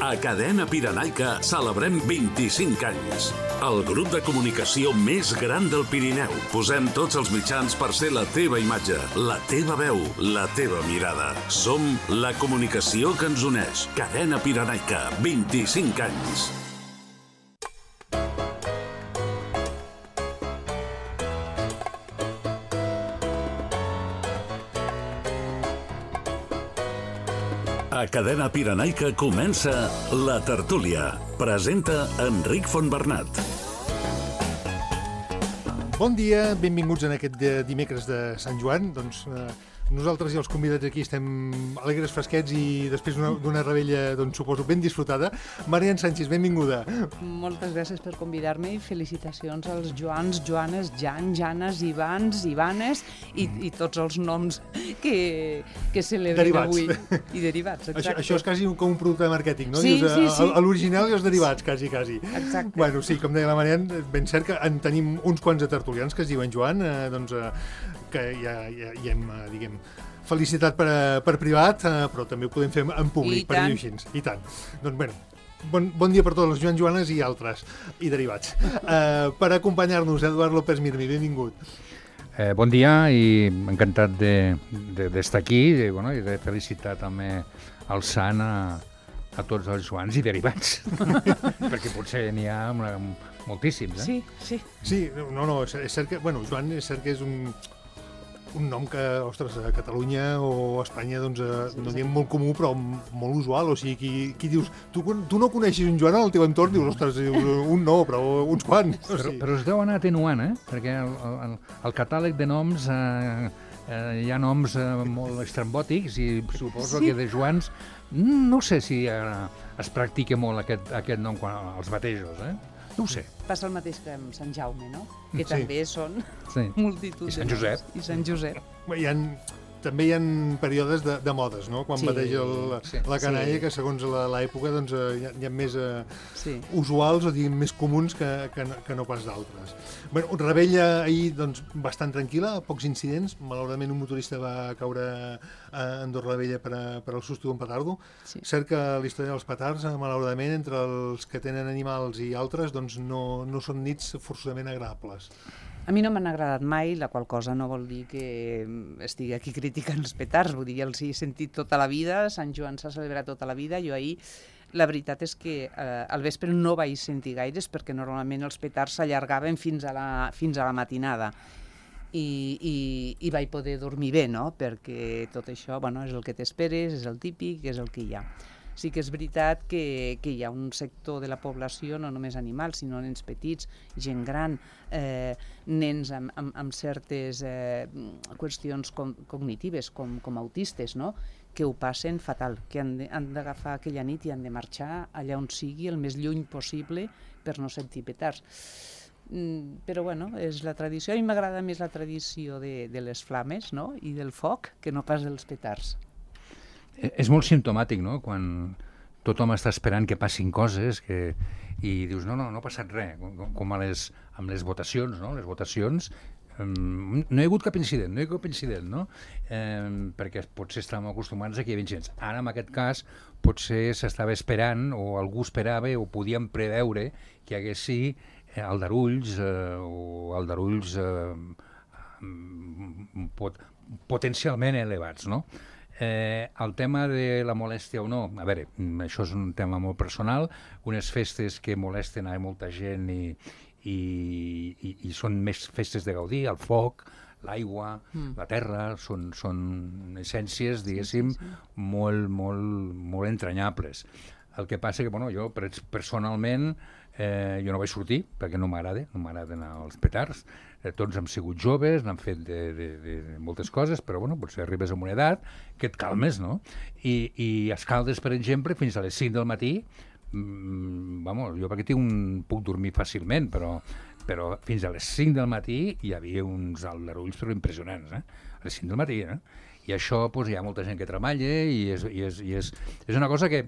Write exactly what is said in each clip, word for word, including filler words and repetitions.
A Cadena Pirenaica celebrem vint-i-cinc anys. El grup de comunicació més gran del Pirineu. Posem tots els mitjans per ser la teva imatge, la teva veu, la teva mirada. Som la comunicació que ens uneix. Cadena Pirenaica, vint-i-cinc anys. A Cadena Pirenaica comença La Tertúlia. Presenta Enric Fontbernat. Bon dia, benvinguts en aquest dimecres de Sant Joan. Doncs eh, nosaltres i els convidats aquí estem alegres, fresquets i després d'una rebella, doncs, suposo, ben disfrutada. Marian Sánchez, benvinguda. Moltes gràcies per convidar-me i felicitacions als Joans, Joanes, Jan, Janes, Ivans, Ivanes i, mm. i tots els noms que, que celebrem avui. I derivats, exacte. Això, això és quasi com un producte de màrqueting, no? Sí, Dius, sí, sí. L'original i els derivats, quasi, quasi. Exacte. Bueno, sí, com deia la Marian, ben cert que en tenim uns quants de tertulians que es diuen Joan, eh, doncs, eh, que ja, ja, ja hem, eh, diguem, felicitat per, per privat, eh, però també ho podem fer en públic, per dir-ho així. I tant. Doncs, bueno, bon, bon dia per tots els Joan, Joanes i altres, i derivats. Eh, per acompanyar-nos, Eduard López Mirmi, benvingut. Eh, bon dia i encantat d'estar de, de, aquí i, bueno, i de felicitar també el sant a, a tots els Joans i derivats, perquè potser n'hi ha una, moltíssims, eh? Sí, sí. Sí, no, no, és, és cert que, bueno, Joan és cert que és un, un nom que, ostres, a Catalunya o a Espanya, doncs, sí, no diem molt comú, però molt usual, o sigui, qui, qui dius, tu, tu no coneixes un Joan al teu entorn, dius, ostres, un no, però uns quants. O sigui. Però, però es deu anar atenuant, eh? Perquè el, el, el catàleg de noms, eh, eh, hi ha noms eh, molt estrambòtics i suposo sí. que de Joans, no sé si eh, es practica molt aquest, aquest nom quan els batejos, eh? No ho sé. Passa el mateix que amb Sant Jaume, no? Que sí. també són sí. multitud I Sant Josep. I Sant Josep. Hi ha, també hi ha períodes de, de modes, no? Quan sí. bateja el, sí. la canalla, sí. que segons l'època doncs, hi ha, hi ha més eh, sí. usuals o diguem, més comuns que, que, que no pas d'altres. Bueno, rebella ahir doncs, bastant tranquil·la, pocs incidents. Malauradament un motorista va caure a Andorra la Vella per, a, per al susto d'un petardo. Sí. Cert que la història dels petards, malauradament, entre els que tenen animals i altres, doncs no, no són nits forçosament agradables. A mi no m'han agradat mai, la qual cosa no vol dir que estigui aquí criticant els petards, vull dir, ja els he sentit tota la vida, Sant Joan s'ha celebrat tota la vida, jo ahir, la veritat és que eh, al vespre no vaig sentir gaires perquè normalment els petards s'allargaven fins a la, fins a la matinada i, i, i vaig poder dormir bé, no?, perquè tot això, bueno, és el que t'esperes, és el típic, és el que hi ha. Sí que és veritat que, que hi ha un sector de la població, no només animals, sinó nens petits, gent gran, eh, nens amb, amb, amb certes eh, qüestions com, cognitives, com, com autistes, no?, que ho passen fatal, que han d'agafar aquella nit i han de marxar allà on sigui, el més lluny possible, per no sentir petards. Mm, però, bueno, és la tradició. A mi m'agrada més la tradició de, de les flames, no?, i del foc, que no pas dels petards. És molt simptomàtic, no?, quan tothom està esperant que passin coses que... i dius, no, no, no ha passat res, com, com a les, amb les votacions, no?, les votacions, um, no hi ha hagut cap incident, no hi ha hagut cap incident, no?, um, perquè potser estàvem acostumats a que hi havia incidents. Ara, en aquest cas, potser s'estava esperant, o algú esperava, o podíem preveure que hi hagués sí aldarulls, eh, o aldarulls eh, pot, potencialment elevats, no?, Eh, el tema de la molèstia o no, a veure, això és un tema molt personal, unes festes que molesten a molta gent i, i, i, i són més festes de gaudir, el foc, l'aigua, mm. la terra, són, són essències, diguéssim, sí, sí, sí. molt, molt, molt entranyables. El que passa que, bueno, jo personalment, eh, jo no vaig sortir, perquè no m'agrada, no m'agraden els petards. Eh, tots hem sigut joves, n'han fet de, de, de moltes coses, però, bueno, potser arribes a una edat que et calmes, no? I, i a Escaldes, per exemple, fins a les cinc del matí, mmm, vamos, jo perquè tinc un, puc dormir fàcilment, però, però fins a les cinc del matí hi havia uns aldarulls però impressionants, eh? A les cinc del matí, eh? I això, doncs, hi ha molta gent que treballa i és, i és, i és, és una cosa que,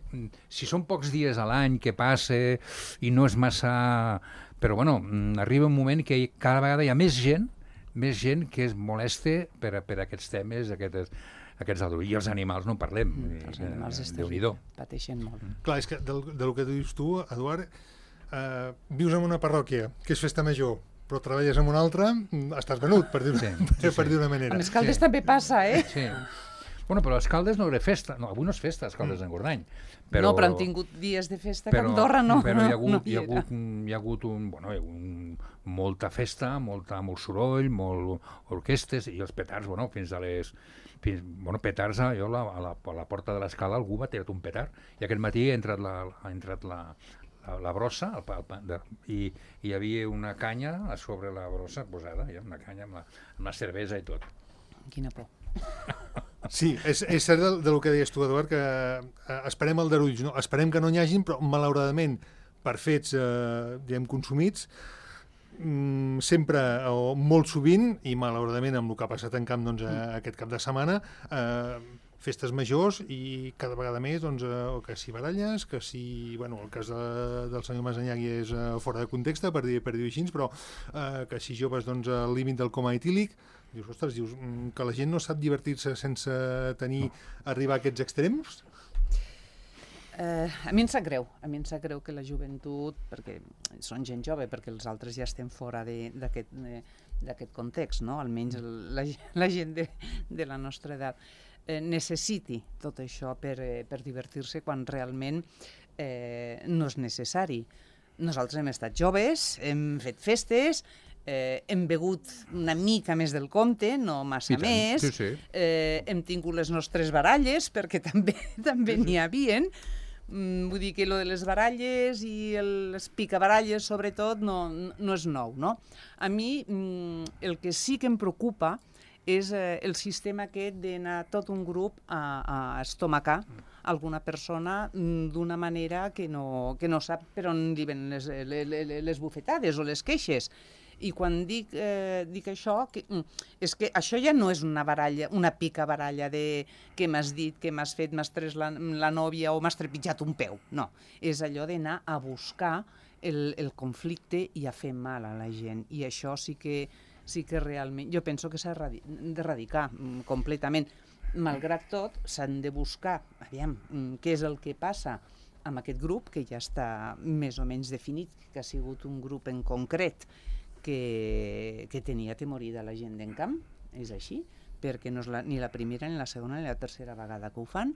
si són pocs dies a l'any que passa i no és massa... Però, bueno, arriba un moment que cada vegada hi ha més gent, més gent que es molesta per, per aquests temes, aquestes, aquests aldarulls. I els animals no en parlem. Mm, els animals és terrible, pateixen molt. Mm. Clar, és que del, del que dius tu, Eduard, eh, vius en una parròquia que és festa major, però treballes en una altra, estàs venut, per dir-ho sí, sí, per dir-ho d'una manera. A Escaldes sí. també passa, eh? Sí. Bueno, però a Escaldes no era festa. No, avui no és festa, Escaldes mm. d'Engordany. Però, no, però han tingut dies de festa però, que Andorra no. Però hi ha hagut, no hi ha hagut, hi ha hagut un, bueno, hi ha un, molta festa, molta, molt soroll, molt orquestes, i els petards, bueno, fins a les... Fins, bueno, petards, jo a la, a, la, a la porta de l'escala algú va tirar un petard, i aquest matí ha entrat la, ha entrat la, la, la brossa, el, el, de, i, i hi havia una canya a sobre la brossa posada, ja, una canya amb la, amb la cervesa i tot. Quina por. Sí, és, és cert del, del que deies tu, Eduard, que eh, esperem aldarulls, no? Esperem que no n'hi hagin, però malauradament, per fets eh, diguem, consumits, mm, sempre o molt sovint, i malauradament amb el que ha passat en camp doncs, eh, aquest cap de setmana, eh, festes majors i cada vegada més, doncs, eh, que si baralles, que si, bueno, el cas de, del senyor Masanyagui és eh, fora de context, per dir-ho per dir així, però eh, que si joves doncs, al límit del coma etílic, dius, ostres, dius, que la gent no sap divertir-se sense tenir, arribar a aquests extrems? Eh, a mi em sap greu, a mi em sap greu que la joventut, perquè són gent jove, perquè els altres ja estem fora d'aquest d'aquest context, no? Almenys la, la gent de, de la nostra edat, eh, necessiti tot això per, eh, per divertir-se quan realment eh, no és necessari. Nosaltres hem estat joves, hem fet festes, Eh, hem begut una mica més del compte, no massa més, sí, sí. Eh, hem tingut les nostres baralles, perquè també també n'hi havien, mm, vull dir que lo de les baralles i les picabaralles, sobretot, no, no és nou, no? A mi mm, el que sí que em preocupa és eh, el sistema aquest d'anar tot un grup a, a estomacar alguna persona mm, d'una manera que no, que no sap per on li ven les, les, les bufetades o les queixes. I quan dic, eh, dic això, que, és que això ja no és una baralla, una pica baralla de què m'has dit, què m'has fet, m'has tret la, la nòvia o m'has trepitjat un peu. No, és allò d'anar a buscar el, el conflicte i a fer mal a la gent. I això sí que, sí que realment, jo penso que s'ha d'erradicar completament. Malgrat tot, s'han de buscar, aviam, què és el que passa amb aquest grup, que ja està més o menys definit, que ha sigut un grup en concret, Que, que tenia temor de la gent d'en camp, és així, perquè no és la, ni la primera, ni la segona, ni la tercera vegada que ho fan,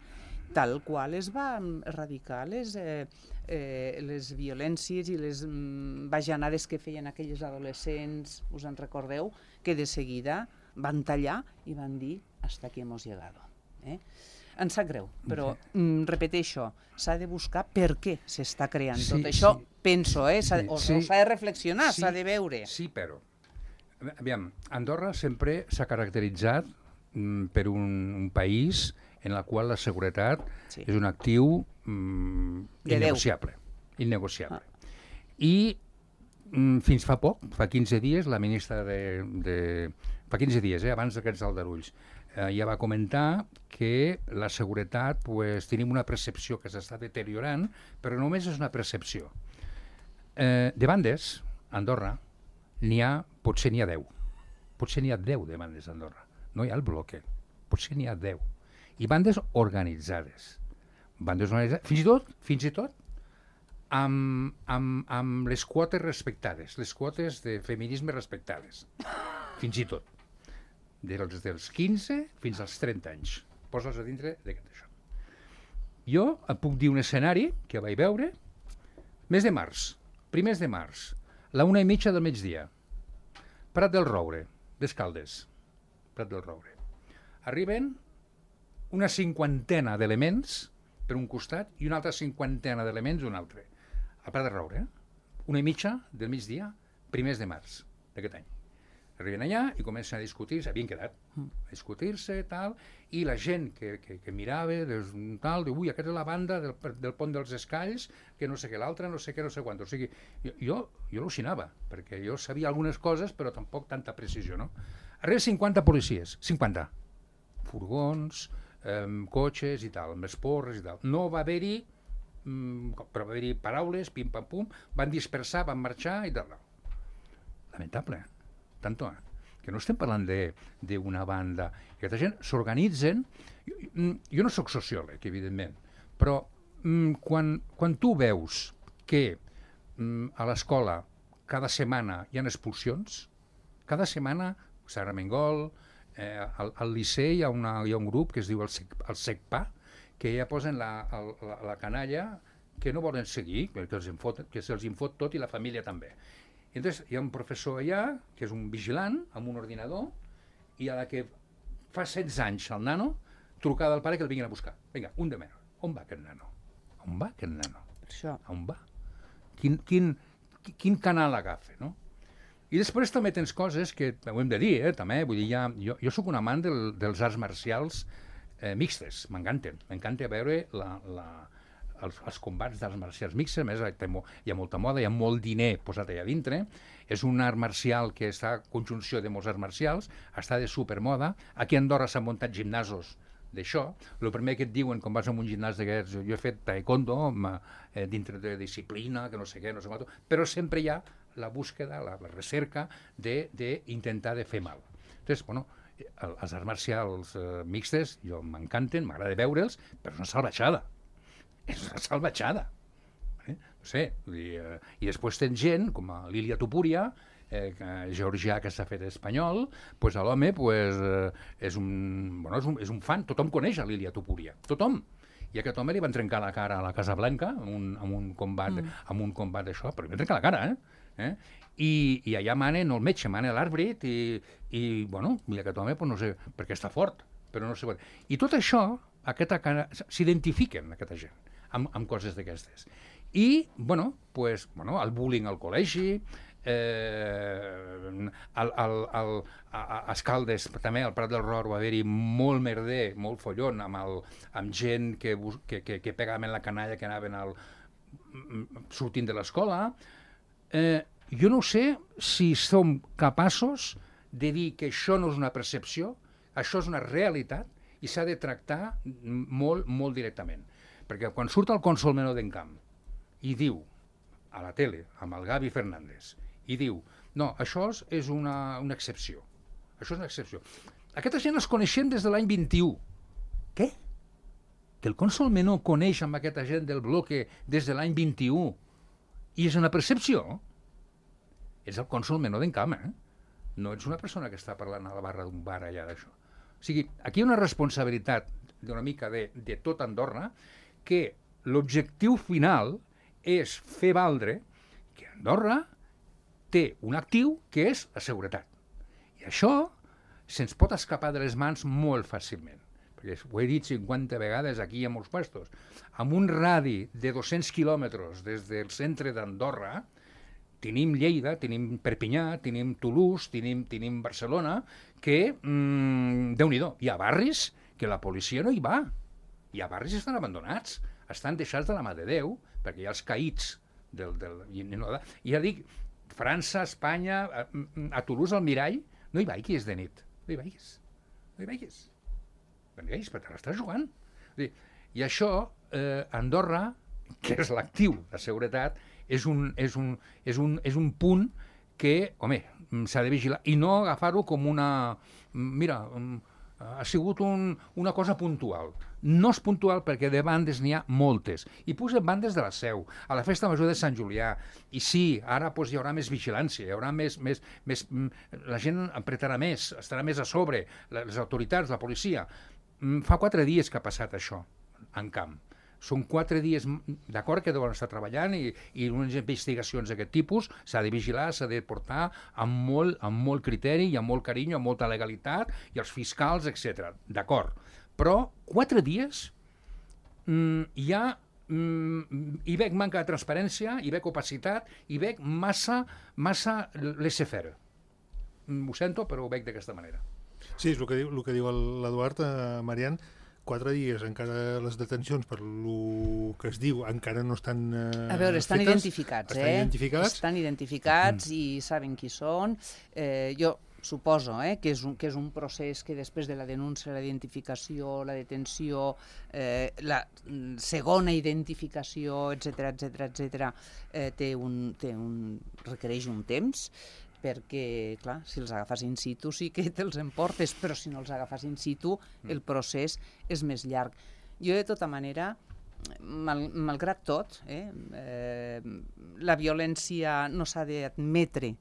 tal qual es va erradicar les, eh, eh, les violències i les mm, bajanades que feien aquelles adolescents, us en recordeu, que de seguida van tallar i van dir hasta aquí hemos llegado. Eh? Em sap greu, però mm, repeteixo, s'ha de buscar per què s'està creant sí, tot això, sí. penso, eh? S'ha de, o s'ha sí. de reflexionar, s'ha sí, de veure. Sí, però, aviam, Andorra sempre s'ha caracteritzat mm, per un, un país en el qual la seguretat sí. és un actiu mm, innegociable. innegociable. Ah. I mm, fins fa poc, fa quinze dies, la ministra de... de fa quinze dies, eh, abans d'aquests aldarulls, eh, ja va comentar que la seguretat, pues, tenim una percepció que s'està deteriorant, però només és una percepció. Eh, de bandes, a Andorra, n'hi ha, potser n'hi ha deu. Potser n'hi ha deu de bandes a Andorra. No hi ha el bloque. Potser n'hi ha deu. I bandes organitzades. Bandes organitzades, fins i tot, fins i tot, amb, amb, amb les quotes respectades, les quotes de feminisme respectades. Fins i tot. Dels, dels quinze fins als trenta anys. Posa'ls a dintre d'aquest això. Jo et puc dir un escenari que vaig veure mes de març, primers de març, la una i mitja del migdia. Prat del Roure, d'Escaldes. Prat del Roure. Arriben una cinquantena d'elements per un costat i una altra cinquantena d'elements un altre. A Prat del Roure, eh? Una i mitja del migdia, primers de març d'aquest any. Arriben allà i comencen a discutir, s'havien quedat, a discutir-se, tal, i la gent que, que, que mirava, des, tal, diu, ui, aquesta és la banda del, del pont dels Escalls, que no sé què, l'altra, no sé què, no sé quant. O sigui, jo, jo, jo al·lucinava, perquè jo sabia algunes coses, però tampoc tanta precisió, no? Arriben cinquanta policies, cinquanta. Furgons, eh, cotxes i tal, amb les porres i tal. No va haver-hi, mm, però va haver-hi paraules, pim-pam-pum, van dispersar, van marxar i tal. Lamentable, eh? Tanto, eh? que no estem parlant d'una banda. Aquesta gent s'organitzen. Jo, jo no sóc sociòleg, evidentment, però mm, quan, quan tu veus que mm, a l'escola cada setmana hi ha expulsions, cada setmana, Sara Mengol, eh, al, al Liceu hi ha, una, hi ha un grup que es diu el, Sec, el SECPA, que ja posen la, la, la canalla que no volen seguir, que se'ls infot, que se'ls infot tot i la família també. I llavors hi ha un professor allà, que és un vigilant, amb un ordinador, i a la que fa setze anys el nano, trucada al pare que el vinguin a buscar. Vinga, un de menys. On va aquest nano? On va aquest nano? Això. On va? Quin, quin, quin canal agafa, no? I després també tens coses que ho hem de dir, eh, també, vull dir, ja, jo, jo sóc un amant del, dels arts marcials eh, mixtes, m'encanten, m'encanta veure la, la, els, els combats d'arts marcials mixtes, a més hi ha molta moda, hi ha molt diner posat allà dintre, és un art marcial que està a conjunció de molts arts marcials, està de supermoda, aquí a Andorra s'han muntat gimnasos d'això, el primer que et diuen quan vas a un gimnàs d'aquests, jo he fet taekwondo, eh, dintre de disciplina, que no sé què, no sé què, però sempre hi ha la búsqueda, la, la recerca d'intentar de, de fer mal. Entonces, bueno, els arts marcials eh, mixtes, jo m'encanten, m'agrada veure'ls, però és una salvatjada. És una salvatjada. Eh? No sé, vull dir, eh, i després tens gent, com a Lilia Topuria, eh, georgià que s'ha fet espanyol, pues l'home pues, eh, és, un, bueno, és, un, és un fan, tothom coneix a Lilia Topuria, tothom. I a aquest home li van trencar la cara a la Casa Blanca amb un, amb un combat, mm. amb un combat d'això, però li van trencar la cara, eh? Eh? I, i allà mana no el metge, mana l'àrbit i, i, bueno, i aquest home, pues, no sé, perquè està fort, però no sé... I tot això, aquesta cara, s'identifiquen, aquesta gent, amb, amb coses d'aquestes. I, bueno, pues, bueno, el bullying al col·legi, eh, al, al, al, a, a Escaldes, també al Prat del Ror va haver-hi molt merder, molt follon, amb, el, amb gent que, que, que, que pegaven la canalla que anaven al, sortint de l'escola. Eh, jo no sé si som capaços de dir que això no és una percepció, això és una realitat i s'ha de tractar molt, molt directament. Perquè quan surt el cònsol Menor d'Encamp i diu a la tele, amb el Gavi Fernández, i diu, no, això és una, una excepció. Això és una excepció. Aquesta gent els coneixem des de l'any vint-i-u. Què? Que el cònsol Menor coneix amb aquesta gent del bloque des de l'any vint-i-u i és una percepció? És el cònsol Menor d'Encamp, eh? No ets una persona que està parlant a la barra d'un bar allà d'això. O sigui, aquí hi ha una responsabilitat d'una mica de, de tot Andorra que l'objectiu final és fer valdre que Andorra té un actiu que és la seguretat. I això se'ns pot escapar de les mans molt fàcilment. Perquè ho he dit cinquanta vegades aquí a molts puestos. Amb un radi de dos-cents quilòmetres des del centre d'Andorra, tenim Lleida, tenim Perpinyà, tenim Toulouse, tenim, tenim Barcelona, que, mmm, Déu-n'hi-do, hi ha barris que la policia no hi va. Hi ha barris que estan abandonats, estan deixats de la mà de Déu, perquè hi ha els caïts del... del i, no, i ja dic, França, Espanya, a, a Toulouse, al Mirall, no hi vagis de nit, no hi vagis, no hi vagis, no hi vagis, perquè l'estàs jugant. I això, eh, Andorra, que és l'actiu de seguretat, és un, és, un, és, un, és un punt que, home, s'ha de vigilar, i no agafar-ho com una... Mira, ha sigut un, una cosa puntual. No és puntual perquè de bandes n'hi ha moltes. I posem bandes de la Seu, a la Festa Major de Sant Julià. I sí, ara pues, hi haurà més vigilància, hi haurà més, més, més... La gent apretarà més, estarà més a sobre, les autoritats, la policia. Fa quatre dies que ha passat això en camp. Són quatre dies, d'acord, que deuen estar treballant i, i unes investigacions d'aquest tipus s'ha de vigilar, s'ha de portar amb molt, amb molt criteri i amb molt carinyo, amb molta legalitat, i els fiscals, etcètera. D'acord. Però quatre dies mm, hi ha... Mm, hi veig manca de transparència, hi veig opacitat, hi veig massa, massa laissez-faire. Mm, ho sento, però ho veig d'aquesta manera. Sí, és el que diu, el que diu l'Eduard, eh, Marian. Quatre dies, encara les detencions per el que es diu encara no estan eh, A veure, estan fetes, identificats, estan eh? identificats. Estan identificats mm. i saben qui són. Eh, jo suposo eh, que, és un, que és un procés que després de la denúncia, la identificació, la detenció, eh, la segona identificació, etcètera, etcètera, etcètera, eh, té un, té un, requereix un temps. perquè, clar, si els agafes in situ sí que te'ls emportes, però si no els agafes in situ el procés és més llarg. Jo, de tota manera, mal, malgrat tot, eh, eh, la violència no s'ha d'admetre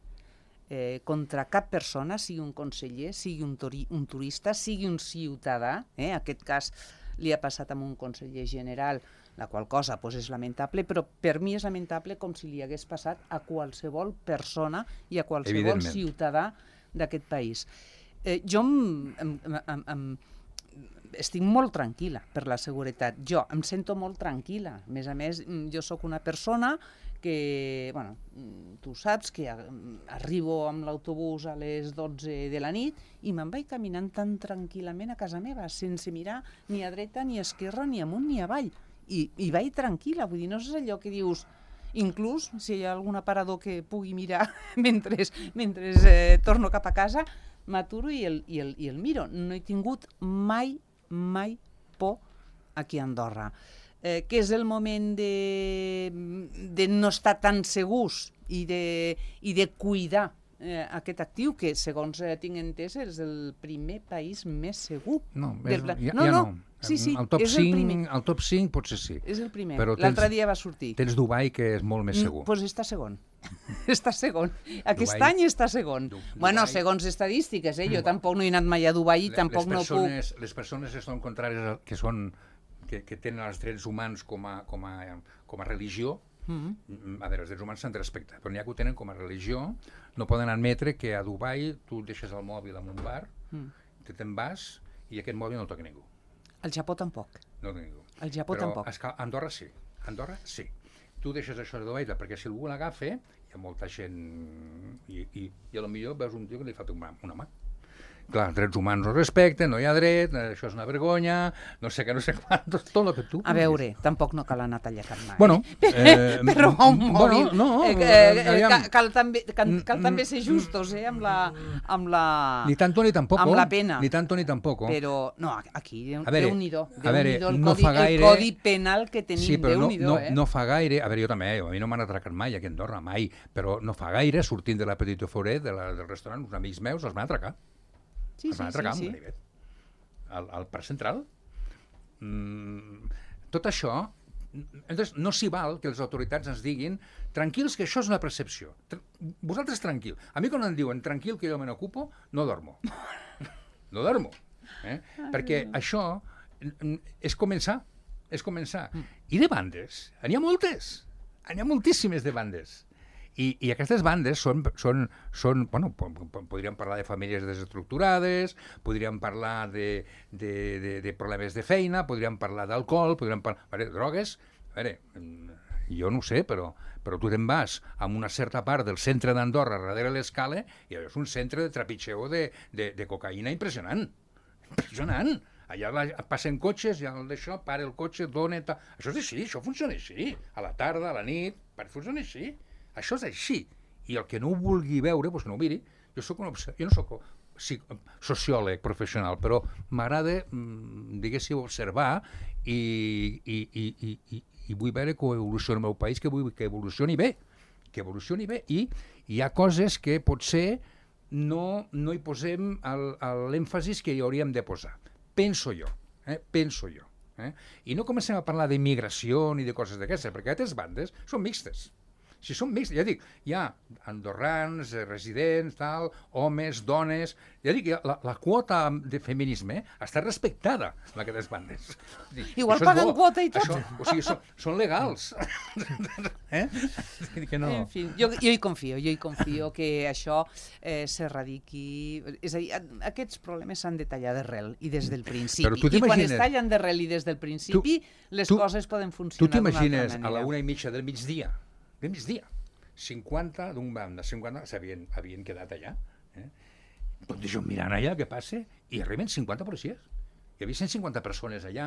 eh, contra cap persona, sigui un conseller, sigui un, turi, un turista, sigui un ciutadà. Eh, en aquest cas li ha passat amb un conseller general, la qual cosa pues, és lamentable, però per mi és lamentable com si li hagués passat a qualsevol persona i a qualsevol ciutadà d'aquest país. Eh, jo em, em, em, em, estic molt tranquil·la per la seguretat. Jo em sento molt tranquil·la. A més a més, jo sóc una persona que, bueno, tu saps que arribo amb l'autobús a les dotze de la nit i me'n vaig caminant tan tranquil·lament a casa meva, sense mirar ni a dreta, ni a esquerra, ni amunt, ni avall. I, i vaig tranquil·la, vull dir, no és allò que dius, inclús si hi ha algun aparador que pugui mirar mentre, mentre eh, torno cap a casa, m'aturo i, el, i, el, i el miro. No he tingut mai, mai por aquí a Andorra. Eh, que és el moment de, de no estar tan segurs i de, i de cuidar eh, aquest actiu, que segons eh, tinc entès és el primer país més segur. No, és, del... ja, no, ja no. no. Sí, sí, el top és el primer. El top cinc potser sí. És el primer. Tens- L'altre dia va sortir. Tens Dubai, que és molt més segur. Doncs pues està segon. està segon. Aquest Dubai- any està segon. Du- Bueno, Dubai- segons estadístiques, eh? Jo tampoc no he anat mai a Dubai i Le- tampoc les no puc... persones, Les persones que són contràries, a- que, són, que, que tenen els drets humans com a, com a, com a religió, Mm-hmm. a veure, els drets humans s'han de respectar, però n'hi ha que ho tenen com a religió, no poden admetre que a Dubai tu deixes el mòbil en un bar, Mm. te te'n vas i aquest mòbil no el toca ningú. Al Japó tampoc. No el toca ningú. Al Japó Però tampoc. és que a Andorra sí. A Andorra sí. Tu deixes això de Dubai perquè si algú l'agafa, hi ha molta gent i, i, i a lo millor veus un tio que li fa una, una mà. Clar, els drets humans no respecten, no hi ha dret, això és una vergonya, no sé què, no sé quantos, tot el que tu... A veure, tampoc no cal anar a tallar cap mà, Bueno, eh? eh, per robar un mòbil. Bueno, no, eh, eh, aviam. cal, cal, també, cal, cal Mm, també ser justos, eh? Amb la... Amb la... Ni tanto ni tampoco. Amb la pena. Ni tanto ni tampoco. Però, no, aquí, A veure, Déu-n'hi-do, a veure, Déu-n'hi-do el, no codi, fa gaire- el codi penal que tenim, Sí, però no, Déu-n'hi-do, no, eh? no fa gaire, a veure, jo també, a mi no m'han atracat mai aquí a Andorra, mai, però no fa gaire, sortint de la Petite Foret, de la, del restaurant, uns amics meus els van atracar. Sí, els van sí, atracar sí, amb sí. ganivet. Al, al Parc Central. Mm, tot això, entonces, no s'hi val que les autoritats ens diguin tranquils que això és una percepció. Tra vosaltres tranquil. A mi quan em diuen tranquil que jo me n'ocupo, no dormo. No dormo. Eh? Perquè això és començar. És començar. I de bandes, n'hi ha moltes. N'hi ha moltíssimes de bandes. I, i aquestes bandes són, són, són bueno, podríem parlar de famílies desestructurades, podríem parlar de, de, de, de problemes de feina, podríem parlar d'alcohol, podríem parlar de drogues. A veure, jo no ho sé, però, però tu te'n vas a una certa part del centre d'Andorra, darrere l'escala, i és un centre de trepitxeu de, de, de cocaïna impressionant. Impressionant. Allà la, passen cotxes, ja d'això, para el cotxe, dona... Ta... Això és així, això funciona així. A la tarda, a la nit, funciona així. Això és així. I el que no ho vulgui veure, doncs que no ho miri. Jo soc un jo no soc sí, sociòleg professional, però m'agrada, mmm, diguéssim, observar i, i, i, i, i, i vull veure que evoluciona el meu país, que vull que evolucioni bé, que evolucioni bé. I hi ha coses que potser no, no hi posem l'èmfasis que hi hauríem de posar. Penso jo, eh? Penso jo. Eh? I no comencem a parlar d'immigració ni de coses d'aquestes, perquè aquestes bandes són mixtes. Si són mixtes, ja dic, hi ha andorrans, residents, tal, homes, dones... Ja dic, la, la quota de feminisme està respectada en aquestes bandes. Dic, igual paguen quota i tot. Això, o sigui, són, són legals. Eh? Que no. En fi, jo, jo hi confio, jo hi confio que això eh, s'erradiqui... És a dir, aquests problemes s'han de tallar d'arrel i des del principi. I quan es tallen d'arrel i des del principi, tu, les tu, coses poden funcionar d'una altra manera. Tu t'imagines a la una i mitja del migdia, del migdia, cinquanta d'un banda, cinquanta s'havien havien quedat allà, eh? Tot això mirant allà què passa, i arriben cinquanta policies. Hi havia cent cinquanta persones allà,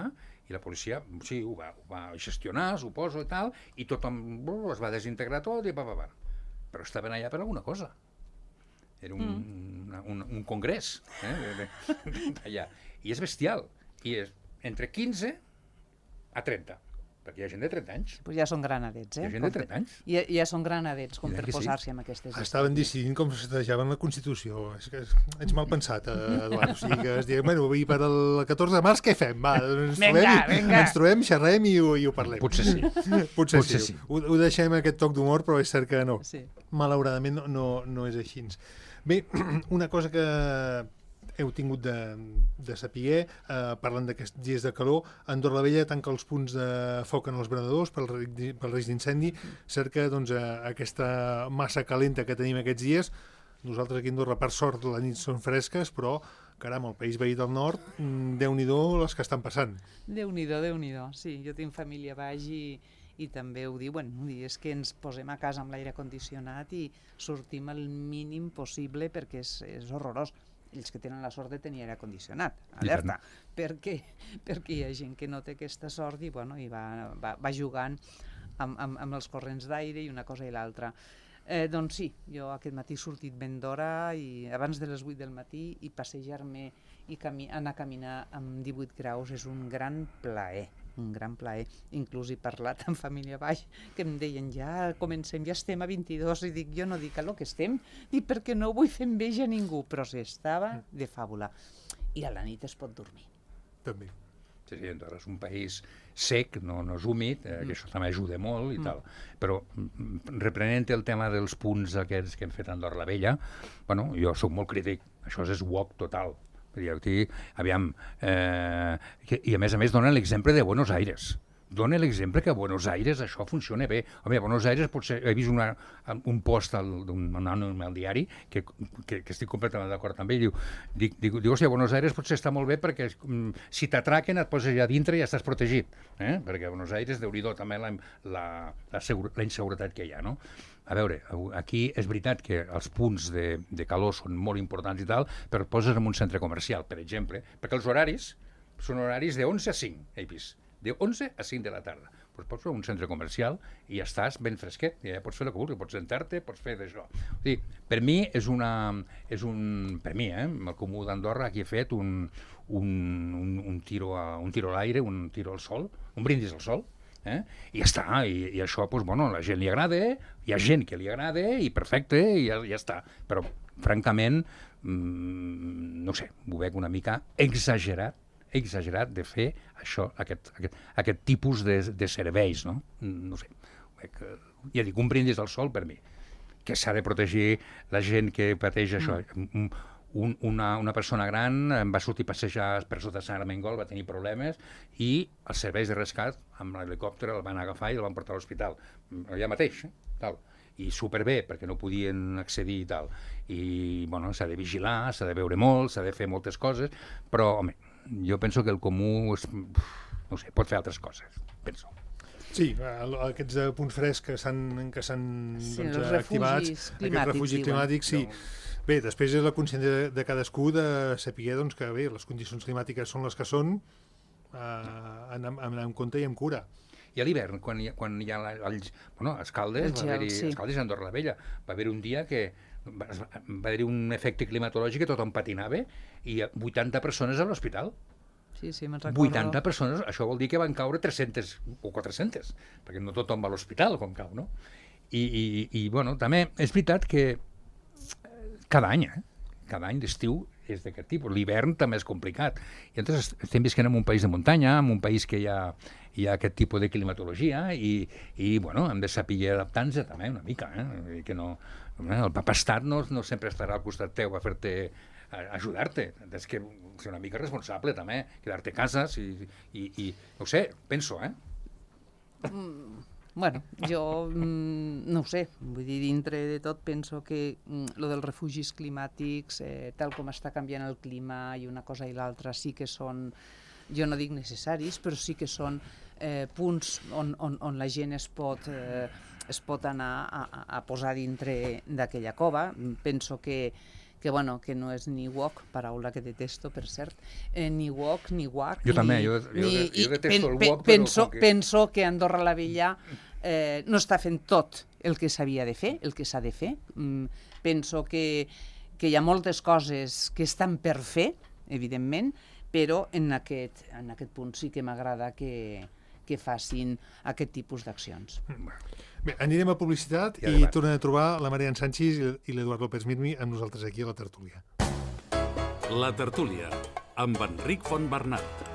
i la policia, sí, ho va, ho va gestionar, suposo, i tal, i tothom uh, es va desintegrar tot, i pa, pa, pa. Però estaven allà per alguna cosa. Era un, mm. un, un congrés, eh? allà. I és bestial. I és entre quinze a trenta perquè hi ha gent de trenta anys. Pues ja són granadets, eh? Hi ha gent de trenta anys. Ja, ja són granadets, com per posar-se amb aquestes històries. Estaven decidint com s'estajaven la Constitució. És que ets mal pensat, Eduard. O sigui, que es digui, bueno, i per el catorze de març què fem? Va, ens venga, trobem, venga. ens trobem, xerrem i ho, i ho parlem. Potser sí. Potser, Potser sí. sí. Ho, ho deixem aquest toc d'humor, però és cert que no. Sí. Malauradament no, no, no és així. Bé, una cosa que heu tingut de, de saber, eh, parlant d'aquests dies de calor, Andorra la Vella tanca els punts de foc en els brenadors pel, pel risc d'incendi. Cert que doncs, eh, aquesta massa calenta que tenim aquests dies, nosaltres aquí a Andorra, per sort, la nit són fresques, però, caram, el país veí del nord, Déu-n'hi-do les que estan passant. Déu-n'hi-do, Déu-n'hi-do. Sí, jo tinc família baix i, i també ho diuen, és que ens posem a casa amb l'aire condicionat i sortim el mínim possible perquè és, és horrorós. Ells que tenen la sort de tenir aire condicionat, alerta, perquè, perquè hi ha gent que no té aquesta sort i, bueno, i va, va, va jugant amb, amb, amb els corrents d'aire i una cosa i l'altra. Eh, doncs sí, jo aquest matí he sortit ben d'hora i abans de les vuit del matí i passejar-me i cami anar a caminar amb divuit graus és un gran plaer, un gran plaer. Inclús he parlat amb família baix que em deien ja comencem, ja estem a vint-i-dos i dic jo no dic a lo que estem, dic perquè no vull fer enveja a ningú, però s'estava de fàbula. I a la nit es pot dormir. També. Sí, sí, Andorra és un país sec, no, no és húmid, eh, que això també ajuda molt i mm. tal. Però reprenent el tema dels punts aquests que hem fet a Andorra la Vella, bueno, jo sóc molt crític, això és wok total. Aquí, aviam, eh, que, i a més a més donen l'exemple de Buenos Aires. Dona l'exemple que a Buenos Aires això funciona bé. Home, a Buenos Aires potser he vist una, un post d'un anònim al diari que, que, que estic completament d'acord amb ell. Diu, dic, dic, diu, hòstia, a Buenos Aires potser està molt bé perquè um, si t'atraquen et poses allà dintre i ja estàs protegit. Eh? Perquè a Buenos Aires, déu-n'hi-do també la, la, la, la inseguretat que hi ha, no? A veure, aquí és veritat que els punts de, de calor són molt importants i tal, però et poses en un centre comercial, per exemple, perquè els horaris són horaris de onze a cinc, he vist. De onze a cinc de la tarda. Doncs pots fer un centre comercial i ja estàs ben fresquet, i ja pots fer el que vulguis, pots sentar-te, pots fer d'això. O sigui, per mi és una... És un, per mi, eh, amb el Comú d'Andorra, aquí he fet un, un, un, un tiro a, un tiro a l'aire, un tiro al sol, un brindis al sol, eh? I ja està, i, i això, doncs, bueno, a la gent li agrada, hi ha gent que li agrada, i perfecte, i ja, ja està. Però, francament, mmm, no sé, ho veig una mica exagerat, exagerat de fer això, aquest, aquest, aquest tipus de, de serveis, no? No sé, ja dic, un brindis al sol per mi, que s'ha de protegir la gent que pateix això. Mm. Un, una, una persona gran em va sortir a passejar per sota Sant Armengol, va tenir problemes, i els serveis de rescat amb l'helicòpter el van agafar i el van portar a l'hospital, allà mateix, eh? Tal. I superbé, perquè no podien accedir i tal. I, bueno, s'ha de vigilar, s'ha de veure molt, s'ha de fer moltes coses, però, home, jo penso que el comú és, no sé, pot fer altres coses, penso. Sí, aquests punts frescs que s'han que s'han sí, doncs, activats, aquests refugis climàtics, sí. No. Bé, després és la consciència de, de cadascú de saber doncs, que bé, les condicions climàtiques són les que són, eh, anar, anar amb compte i amb cura. I a l'hivern, quan, quan hi ha els, bueno, els caldes, el gel, va haver-hi, sí. els caldes a Andorra la Vella, va haver un dia que va, va haver un efecte climatològic que tothom patinava i vuitanta persones a l'hospital. Sí, sí, me'n recordo. vuitanta persones, això vol dir que van caure tres-centes o quatre-centes, perquè no tothom va a l'hospital quan cau, no? I, i, i bueno, també és veritat que cada any, eh? cada any d'estiu és d'aquest tipus. L'hivern també és complicat. I llavors estem visquent en un país de muntanya, en un país que hi ha, hi ha aquest tipus de climatologia i, i bueno, hem de saber adaptar-nos també una mica. Eh? Que no, el papastat no, no sempre estarà al costat teu a fer-te a ajudar-te. És que ser una mica responsable també, quedar-te a casa i, i, i no ho sé, penso, eh? Mm. Bueno, jo mm, no ho sé, vull dir, dintre de tot penso que mm, lo dels refugis climàtics, eh, tal com està canviant el clima i una cosa i l'altra, sí que són, jo no dic necessaris, però sí que són eh, punts on, on, on la gent es pot, eh, es pot anar a, a posar dintre d'aquella cova. Penso que que, bueno, que no és ni wok, paraula que detesto, per cert, eh, ni wok, ni wac. Jo ni, també, jo, jo, ni, jo detesto pen, el wok, penso, però... Que... Penso que Andorra la Vella eh, no està fent tot el que s'havia de fer, el que s'ha de fer. Mm, penso que, que hi ha moltes coses que estan per fer, evidentment, però en aquest, en aquest punt sí que m'agrada que, que facin aquest tipus d'accions. Bé, anirem a publicitat i, i tornem a trobar la Marian Sanchis i l'Eduard López Mirmi amb nosaltres aquí a la tertúlia. La tertúlia, amb Enric Fontbernat.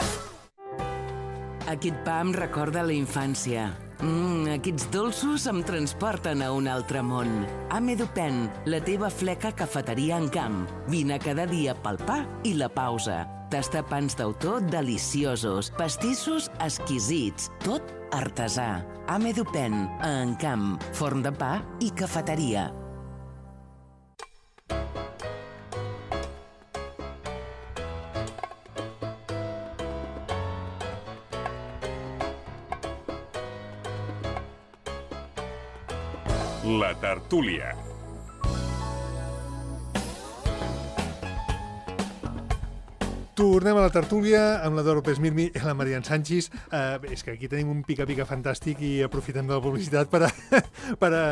Aquest pa em recorda la infància. Mm, aquests dolços em transporten a un altre món. Amedupen, la teva fleca cafeteria en camp. Vine cada dia pel pa i la pausa. Tastar pans d'autor deliciosos, pastissos exquisits, tot artesà. Amedupen, a Encamp, forn de pa i cafeteria. La tertúlia. Tornem a la tertúlia amb l'Eduard López Mirmi i la Marian Sanchis. Uh, és que aquí tenim un pica-pica fantàstic i aprofitem de la publicitat per, a, per, a,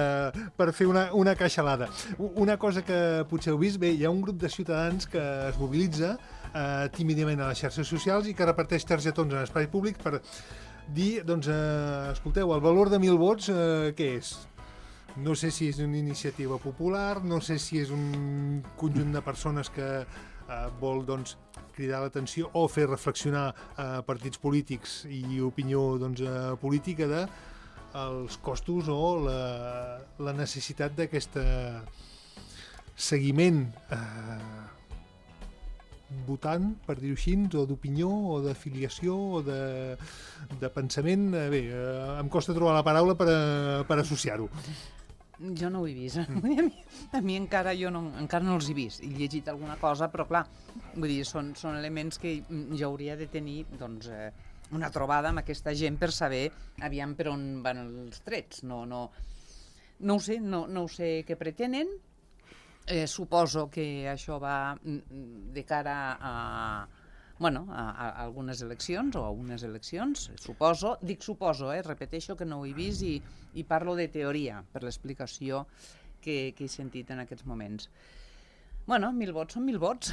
per fer una, una caixalada. Una cosa que potser heu vist, bé, hi ha un grup de ciutadans que es mobilitza uh, tímidament a les xarxes socials i que reparteix targetons en espai públic per dir, doncs, uh, escolteu, el valor de mil vots, uh, què és? No sé si és una iniciativa popular, no sé si és un conjunt de persones que eh, vol doncs, cridar l'atenció o fer reflexionar eh, partits polítics i opinió doncs, eh, política de els costos o la, la necessitat d'aquest seguiment eh, votant, per dir-ho així, o d'opinió, o d'afiliació, o de, de pensament. Eh, bé, eh, em costa trobar la paraula per, a, per associar-ho. Jo no ho he vist. A mi, a mi encara, jo no, encara no els he vist. He llegit alguna cosa, però clar, vull dir, són, són elements que jo hauria de tenir doncs, eh, una trobada amb aquesta gent per saber aviam per on van els trets. No, no, no ho sé, no, no ho sé què pretenen. Eh, suposo que això va de cara a, bueno, a, a algunes eleccions o a unes eleccions, suposo. Dic suposo, eh? Repeteixo que no ho he vist i, i parlo de teoria per l'explicació que, que he sentit en aquests moments. Bueno, mil vots són mil vots.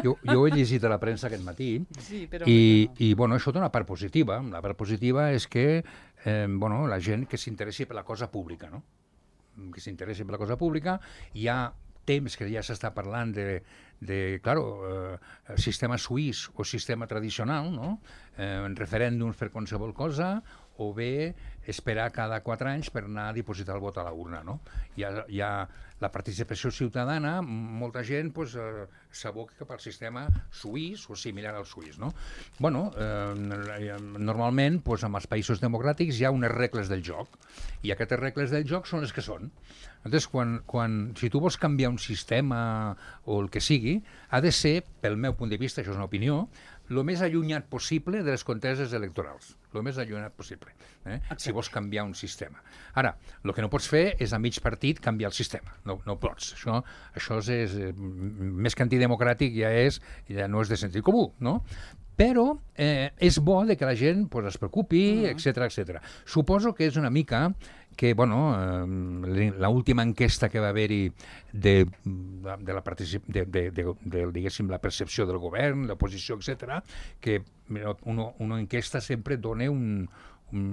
Jo, jo ho he llegit a la premsa aquest matí sí, però i, no. i bueno, això té una part positiva. La part positiva és que eh, bueno, la gent que s'interessi per la cosa pública, no? que s'interessi per la cosa pública, hi ha temps que ja s'està parlant de, de claro, eh, sistema suís o sistema tradicional, no? eh, referèndums per qualsevol cosa, o bé esperar cada quatre anys per anar a dipositar el vot a la urna. No? Hi ha, hi ha la participació ciutadana, molta gent pues, eh, s'aboca cap al sistema suís o similar al suís. No? Bueno, eh, normalment pues, en els països democràtics hi ha unes regles del joc, i aquestes regles del joc són les que són. Llavors, quan, quan, si tu vols canviar un sistema o el que sigui, ha de ser, pel meu punt de vista, això és una opinió, el més allunyat possible de les conteses electorals. El més allunyat possible, eh? si vols canviar un sistema. Ara, el que no pots fer és a mig partit canviar el sistema. No, no pots. Això, això és, és més que antidemocràtic, ja, és, ja no és de sentit comú, no? Però eh, és bo de que la gent pues, es preocupi, etcètera, etcètera. Suposo que és una mica que, bueno, eh, l'última enquesta que va haver-hi de, de, la de, de, de, de, diguéssim, la percepció del govern, l'oposició, etcètera, que una, una enquesta sempre dona un,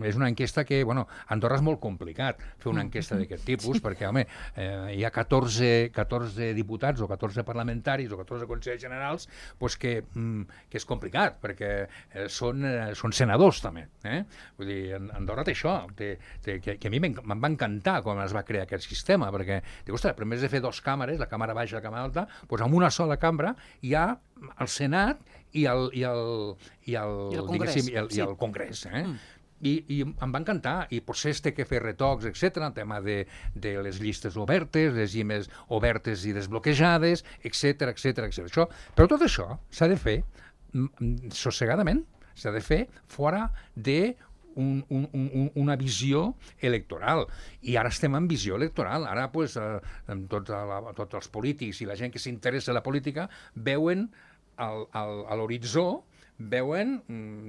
és una enquesta que, bueno, a Andorra és molt complicat fer una enquesta d'aquest tipus, sí. perquè, home, eh, hi ha catorze, catorze diputats o catorze parlamentaris o catorze consells generals pues que, mm, que és complicat, perquè eh, són, eh, són senadors, també. Eh? Vull dir, Andorra té això, té, té, que, que a mi me'n va encantar quan es va crear aquest sistema, perquè, dic, ostres, però en vez de fer dos càmeres, la càmera baixa i la càmera alta, doncs amb una sola cambra hi ha el Senat i el, i el, i el, I el Congrés. I el, sí. i el Congrés, eh? Mm. I, i em va encantar, i potser es té que fer retocs, etcètera, el tema de, de les llistes obertes, les llimes obertes i desbloquejades, etcètera, etcètera, etcètera. Això, però tot això s'ha de fer sossegadament, s'ha de fer fora de un, un, un, una visió electoral. I ara estem en visió electoral. Ara, pues, eh, tots, la, tots els polítics i la gent que s'interessa en la política veuen al, al, a l'horitzó veuen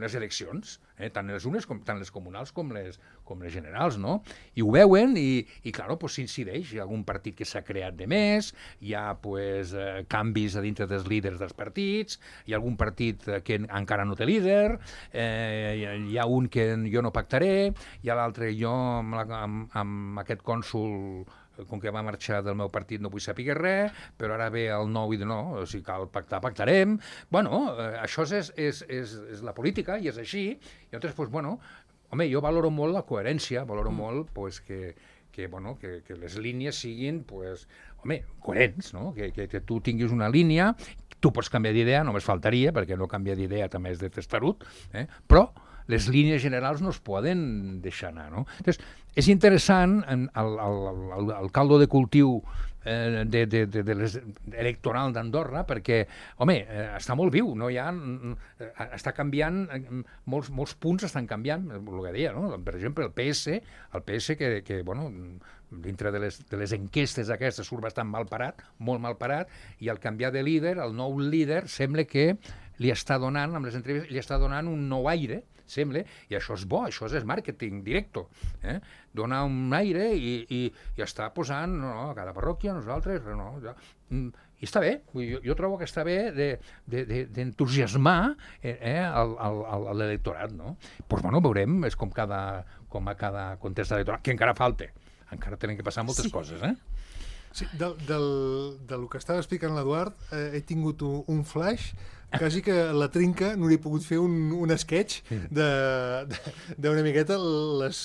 les eleccions, eh? tant les unes, com, tant les comunals com les, com les generals, no? I ho veuen i, i clar, pues, s'incideix. Hi ha algun partit que s'ha creat de més, hi ha pues, eh, canvis a dintre dels líders dels partits, hi ha algun partit que encara no té líder, eh, hi ha un que jo no pactaré, hi ha l'altre jo amb, la, amb, amb aquest cònsol com que va marxar del meu partit no vull saber res, però ara ve el nou i de no, si cal pactar, pactarem. Bueno, eh, això és, és, és, és la política i és així. I llavors, pues, bueno, home, jo valoro molt la coherència, valoro mm. molt pues, que, que, bueno, que, que les línies siguin, pues, home, coherents, no? Que, que, que tu tinguis una línia, tu pots canviar d'idea, només faltaria, perquè no canviar d'idea també és de testarut, eh? Però les línies generals no es poden deixar anar, no? Entonces, és interessant el, el, el, el caldo de cultiu eh, de, de, de, de les, electoral d'Andorra, perquè, home, eh, està molt viu, no hi ha, eh, està canviant, eh, molts, molts punts estan canviant, el que deia, no? Per exemple, el P S, el P S que, que bueno, dintre de les, de les enquestes aquestes surt bastant mal parat, molt mal parat, i al canviar de líder, el nou líder sembla que li està donant, amb les entrevistes, li està donant un nou aire, sembla, i això és bo, això és màrqueting directe, eh? Donar un aire i, i, i està posant, no, no, a cada parròquia, nosaltres, no, ja, i està bé, jo, jo trobo que està bé d'entusiasmar de, de, de, eh, l'electorat, no? Pues bueno, veurem, és com, cada, com a cada contest electoral, que encara falta, encara tenen que passar moltes sí. coses, eh? Sí, del, del, del que estava explicant l'Eduard, eh, he tingut un, un flash quasi que la trinca no li he pogut fer un, un sketch d'una miqueta les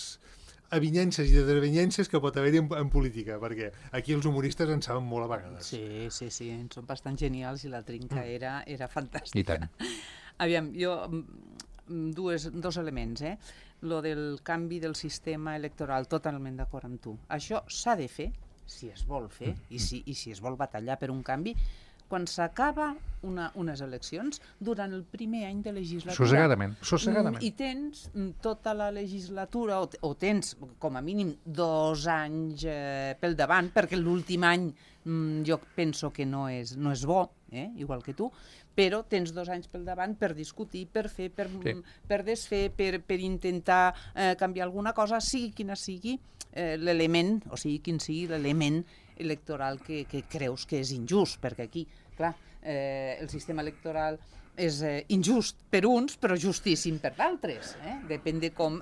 avinyences i desavinyences que pot haver-hi en, en política, perquè aquí els humoristes en saben molt a vegades. Sí, sí, sí, són bastant genials i la trinca mm. era, era fantàstica. I tant. Aviam, jo, dues, dos elements, eh? Lo del canvi del sistema electoral, totalment d'acord amb tu. Això s'ha de fer, si es vol fer, i si, i si es vol batallar per un canvi, quan s'acaba una, unes eleccions, durant el primer any de legislatura. Sossegadament, sossegadament. I tens tota la legislatura, o, o tens com a mínim dos anys eh, pel davant, perquè l'últim any mm, jo penso que no és, no és bo, eh, igual que tu, però tens dos anys pel davant per discutir, per fer, per, sí. per desfer, per, per intentar eh, canviar alguna cosa, sigui quina sigui eh, l'element, o sigui quin sigui l'element electoral que, que creus que és injust, perquè aquí, clar, eh, el sistema electoral és eh, injust per uns, però justíssim per d'altres. Eh? Depèn de com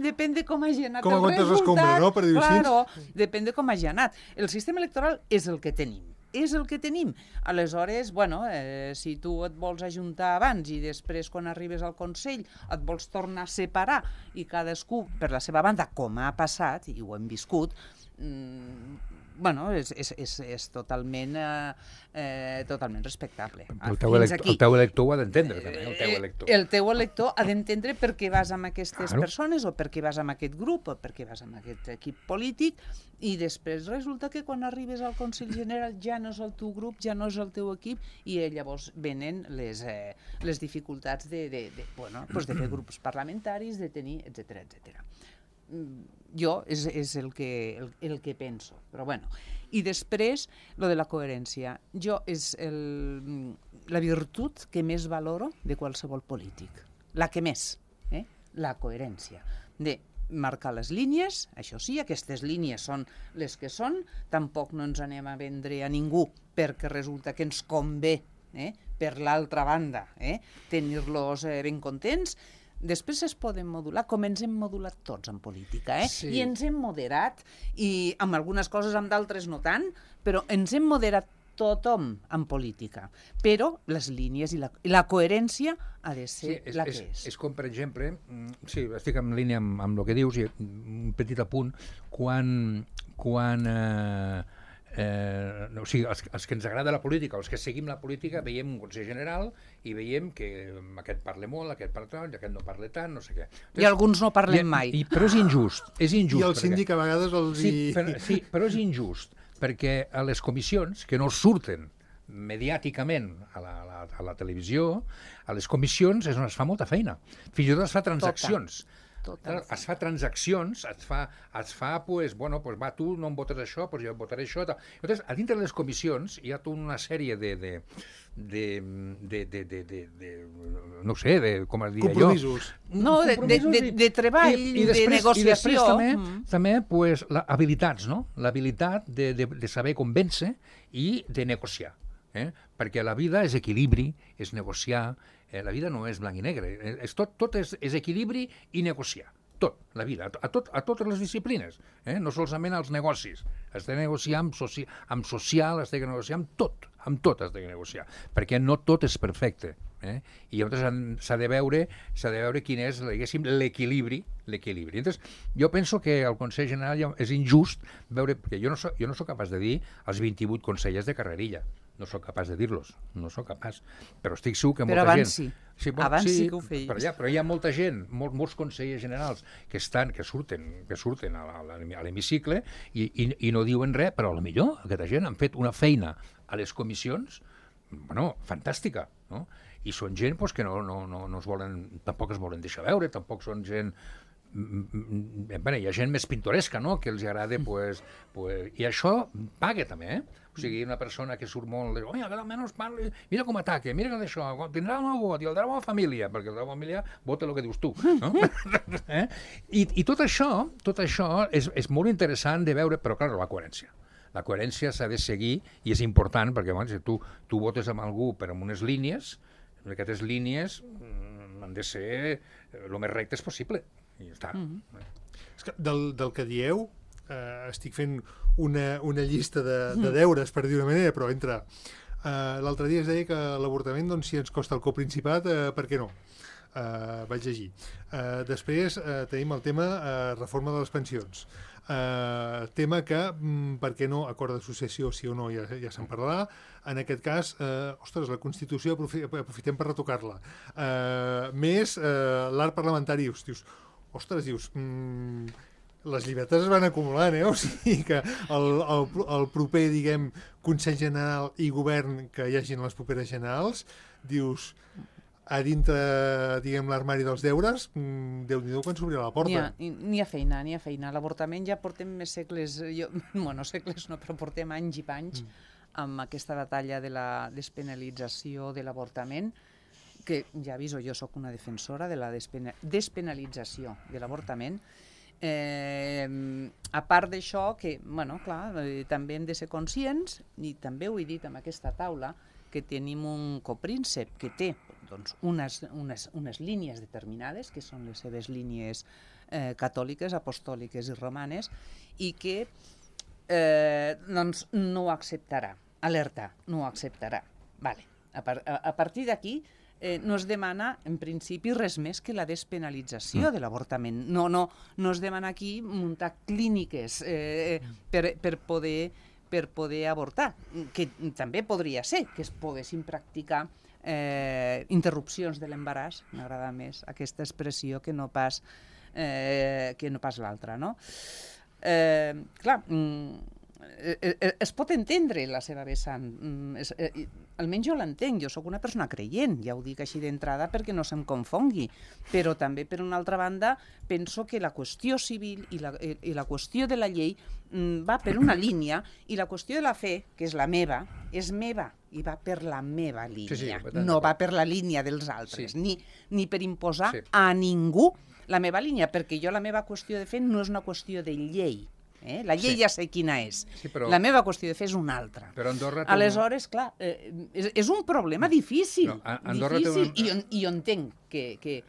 depèn de com hagi anat com el resultat. Escombra, no? Per dir-ho claro, depèn de com hagi anat. El sistema electoral és el que tenim. És el que tenim. Aleshores, bueno, eh, si tu et vols ajuntar abans i després, quan arribes al Consell, et vols tornar a separar i cadascú per la seva banda, com ha passat, i ho hem viscut, mmm, bueno, és, és, és, és totalment, eh, eh, totalment respectable. El teu, elector, el teu elector ho ha d'entendre, també, el teu elector. El teu elector ha d'entendre per què vas amb aquestes claro. persones, o per què vas amb aquest grup, o per què vas amb aquest equip polític, i després resulta que quan arribes al Consell General ja no és el teu grup, ja no és el teu equip, i llavors venen les, eh, les dificultats de, de, de, bueno, pues de fer grups parlamentaris, de tenir, etcètera, etcètera. Jo és, és el, que, el, el que penso, però bueno. I després, lo de la coherència. Jo és el, la virtut que més valoro de qualsevol polític. La que més, eh? La coherència. De marcar les línies, això sí, aquestes línies són les que són, tampoc no ens anem a vendre a ningú perquè resulta que ens convé, eh? Per l'altra banda, eh? Tenir-los eh, ben contents. Després es poden modular, com ens hem modulat tots en política, eh? Sí. I ens hem moderat, i amb algunes coses, amb d'altres no tant, però ens hem moderat tothom en política. Però les línies i la, i la coherència ha de ser sí, és, la que és. És, és com, per exemple, sí, estic en línia amb, amb el que dius, i un petit apunt, quan... quan eh, Eh, o sigui, els, els que ens agrada la política, els que seguim la política, veiem un Consell General i veiem que aquest parla molt, aquest parla tant, aquest no parla tant, no sé què. Entonces, I alguns no parlem i, mai. I, però és injust. És injust I el perquè, síndic a vegades els sí, hi... però, sí, però és injust, perquè a les comissions, que no surten mediàticament a la, a la, a la televisió, a les comissions és on es fa molta feina. Fins i tot es fa transaccions. Tota. Tota es fa transaccions, es fa, es fa pues, bueno, pues va, tu no em votes això, pues jo em votaré això. Tal. Llavors, a dintre de les comissions hi ha tota una sèrie de... de de, de, de, de, de, de no sé, de, com es diria jo... Compromisos. No, de, de, de, de treball, I, i després, de negociació. I després també, mm. també pues, la, habilitats, no? L'habilitat de, de, de saber convèncer i de negociar. Eh? Perquè la vida és equilibri, és negociar, eh, la vida no és blanc i negre, és tot, tot és, és equilibri i negociar. Tot, la vida, a, tot, a totes les disciplines, eh? No solament als negocis. Has de negociar amb, soci, amb social, has de negociar amb tot, amb tot has de negociar, perquè no tot és perfecte. Eh? I llavors s'ha de veure s'ha de veure quin és, diguéssim, l'equilibri, l'equilibri. Llavors, jo penso que el Consell General és injust veure, perquè jo no soc, jo no soc capaç de dir els vint-i-vuit consellers de carrerilla, no sóc capaç de dir-los, no sóc capaç, però estic segur que però molta abans gent... Sí. Sí, bon, abans sí, sí que ho feies. Però, ja, però hi ha molta gent, molts, molts consellers generals que estan, que surten, que surten a, la, a l'hemicicle i, i, i no diuen res, però potser aquesta gent han fet una feina a les comissions, bueno, fantàstica, no? I són gent pues, que no, no, no, no es volen, tampoc es volen deixar veure, tampoc són gent... Bé, hi ha gent més pintoresca, no?, que els agrada, pues, pues, i això paga també, eh? O sigui, una persona que surt molt, oi, que almenys parli, mira com ataca, mira que d'això, tindrà el meu vot i el de la meva família, perquè el de la família vota el que dius tu, no? eh? I, I tot això, tot això és, és molt interessant de veure, però clar, la coherència. La coherència s'ha de seguir i és important, perquè bueno, si tu, tu votes amb algú per amb unes línies, aquestes línies mm, han de ser el més rectes possible. I ja està. Mm-hmm. És que del, del que dieu, eh, estic fent una, una llista de, de deures, per dir una manera, però entre... Eh, l'altre dia es deia que l'avortament, doncs, si ens costa el coprincipat, eh, per què no? Eh, vaig llegir. Eh, després eh, tenim el tema eh, reforma de les pensions. Uh, tema que, mm, per què no, acord d'associació, sí o no, ja, ja se'n parlarà. En aquest cas, uh, ostres, la Constitució aprofi aprofitem per retocar-la. Uh, més uh, l'art parlamentari, dius, ostres, dius, mm, les llibertats es van acumulant, eh? O sigui que el, el, el proper, diguem, Consell General i Govern que hi hagin les properes generals, dius... a dintre, diguem, l'armari dels deures, Déu-n'hi-do quan s'obrirà la porta. N'hi ha, ha feina, n'hi ha feina. L'avortament ja portem més segles, jo, bueno, segles no, però portem anys i panys mm. amb aquesta batalla de la despenalització de l'avortament, que ja aviso, jo sóc una defensora de la despenalització de l'avortament. Eh, a part d'això, que, bueno, clar, eh, també hem de ser conscients, i també ho he dit amb aquesta taula, que tenim un copríncep que té doncs, unes, unes, unes línies determinades, que són les seves línies eh, catòliques, apostòliques i romanes, i que eh, doncs, no ho acceptarà. Alerta, no ho acceptarà. Vale. A, par a, a partir d'aquí eh, no es demana, en principi, res més que la despenalització mm. de l'avortament. No, no, no es demana aquí muntar clíniques eh, per, per poder... per poder avortar, que també podria ser que es poguessin practicar eh, interrupcions de l'embaràs, m'agrada més aquesta expressió que no pas, eh, que no pas l'altra, no? Eh, clar, eh, es pot entendre la seva vessant, es, eh, almenys jo l'entenc, jo sóc una persona creient, ja ho dic així d'entrada perquè no se'm confongui, però també per una altra banda penso que la qüestió civil i la, i la qüestió de la llei mm, va per una línia i la qüestió de la fe, que és la meva, és meva i va per la meva línia, sí, sí, no va per la línia dels altres, sí. ni, ni per imposar sí. a ningú la meva línia, perquè jo la meva qüestió de fe no és una qüestió de llei. Eh? La llei sí. ja sé quina és. Sí, però... La meva qüestió de fe és una altra. Però Andorra... Aleshores, clar, eh, és, és un problema difícil. No, Andorra difícil té un... I, I jo entenc que, que,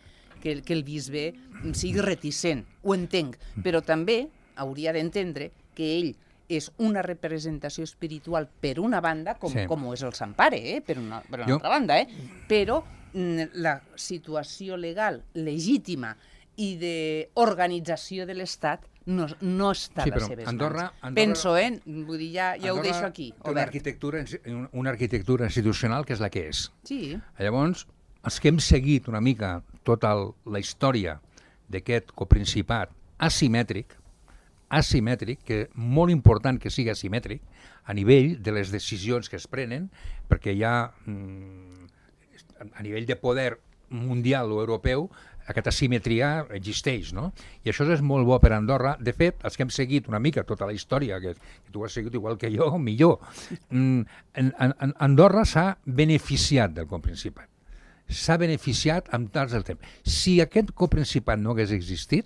que, que el bisbe sigui reticent. Ho entenc. Però també hauria d'entendre que ell és una representació espiritual per una banda, com, sí. com ho és el Sant Pare, eh? per una, per una jo... altra banda, eh? però mm, la situació legal legítima i d'organització de l'Estat no, no està sí, a les seves Andorra, mans. Andorra, Penso, eh? Vull dir, ja, ja ho deixo aquí. Una arquitectura, una arquitectura institucional que és la que és. Sí. Llavors, els que hem seguit una mica tota la història d'aquest coprincipat asimètric, asimètric, que molt important que sigui asimètric, a nivell de les decisions que es prenen, perquè hi ha, a nivell de poder, mundial o europeu, aquesta asimetria existeix, no? I això és molt bo per Andorra. De fet, els que hem seguit una mica tota la història, que, que tu has seguit igual que jo, millor, en, en, Andorra s'ha beneficiat del coprincipat. S'ha beneficiat amb tals del temps. Si aquest coprincipat no hagués existit,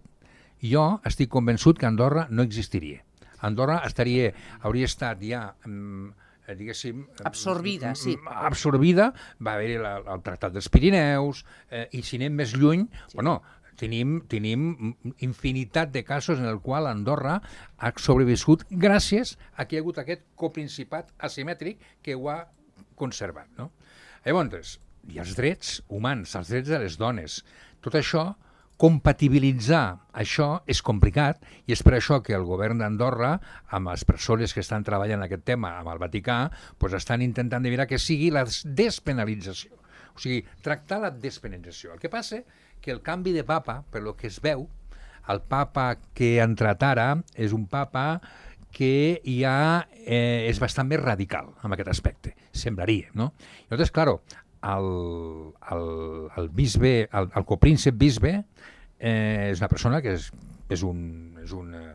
jo estic convençut que Andorra no existiria. Andorra estaria, hauria estat ja... diguéssim... Absorbida, sí. Absorbida, va haver-hi el Tractat dels Pirineus, eh, i si anem més lluny, sí. bueno, tenim, tenim infinitat de casos en el qual Andorra ha sobreviscut gràcies a que hi ha hagut aquest coprincipat asimètric que ho ha conservat, no? Llavors, i els drets humans, els drets de les dones, tot això, compatibilitzar això és complicat i és per això que el govern d'Andorra, amb les persones que estan treballant en aquest tema, amb el Vaticà, doncs estan intentant de mirar que sigui la despenalització. O sigui, tractar la despenalització. El que passa que el canvi de papa, per lo que es veu, el papa que ha entrat ara és un papa que ja eh, és bastant més radical en aquest aspecte, semblaria, no? I llavors, clar, el, el, el bisbe, el, el copríncep bisbe, eh, és una persona que és, és, un, és, un, eh,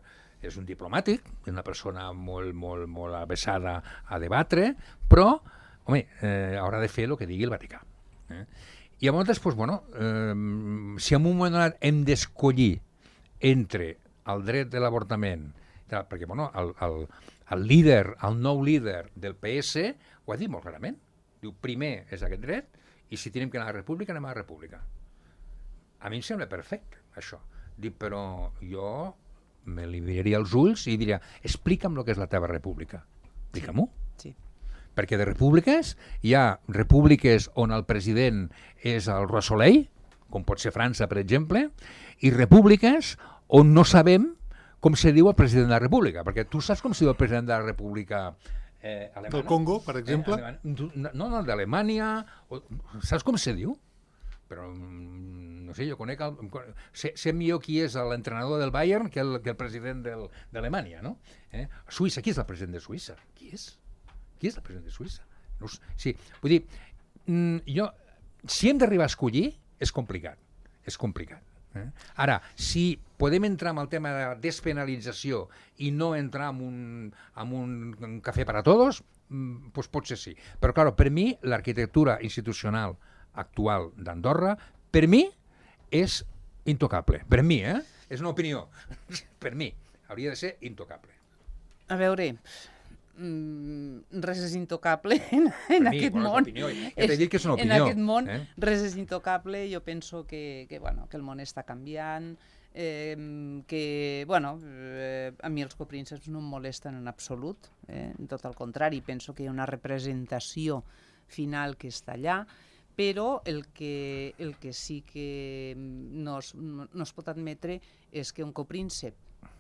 és un diplomàtic, és una persona molt, molt, molt avesada a debatre, però, home, eh, haurà de fer el que digui el Vaticà. Eh? I llavors, doncs, bueno, eh, si en un moment donat hem d'escollir entre el dret de l'avortament, perquè, bueno, el, el, el líder, el nou líder del P S ho ha dit molt clarament. Diu, primer és aquest dret, i si tenim que anar a la república, anem a la república. A mi em sembla perfecte, això. Dic, però jo me li miraria els ulls i diria, explica'm el que és la teva república. Explica-m'ho. Sí. Perquè de repúbliques hi ha repúbliques on el president és el roi Soleil, com pot ser França, per exemple, i repúbliques on no sabem com se diu el president de la república, perquè tu saps com se diu el president de la república Eh, del Congo, per exemple? Eh, no, no, d'Alemanya. Saps com se diu? Però, no sé, jo conec... El, sé, sé millor qui és l'entrenador del Bayern que el, que el president del, d'Alemanya, no? Eh? Suïssa, qui és el president de Suïssa? Qui és? Qui és el president de Suïssa? No, sí, vull dir, jo, si hem d'arribar a escollir, és complicat. És complicat. Eh? Ara, si podem entrar en el tema de la despenalització i no entrar en un, en un cafè per a tots, doncs pot ser sí. Però, clar, per mi, l'arquitectura institucional actual d'Andorra, per mi, és intocable. Per mi, eh? És una opinió. Per mi, hauria de ser intocable. A veure... res és intocable en, en mi, aquest bueno, món. Opinió, ja t'he dit que és una opinió. En aquest món eh? res és intocable. Jo penso que, que, bueno, que el món està canviant, eh, que bueno, eh, a mi els coprínceps no em molesten en absolut, eh, tot el contrari, penso que hi ha una representació final que està allà, però el que, el que sí que no es, no, no es pot admetre és que un copríncep,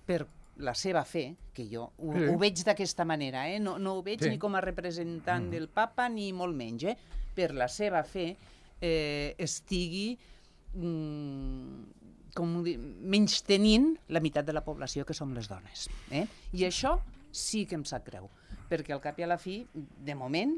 per la seva fe, que jo ho, sí. ho veig d'aquesta manera, eh? no, no ho veig sí. ni com a representant mm. del papa ni molt menys, eh? per la seva fe eh, estigui mm, com dir, menys tenint la meitat de la població que som les dones. Eh? I això sí que em sap greu, perquè al cap i a la fi, de moment,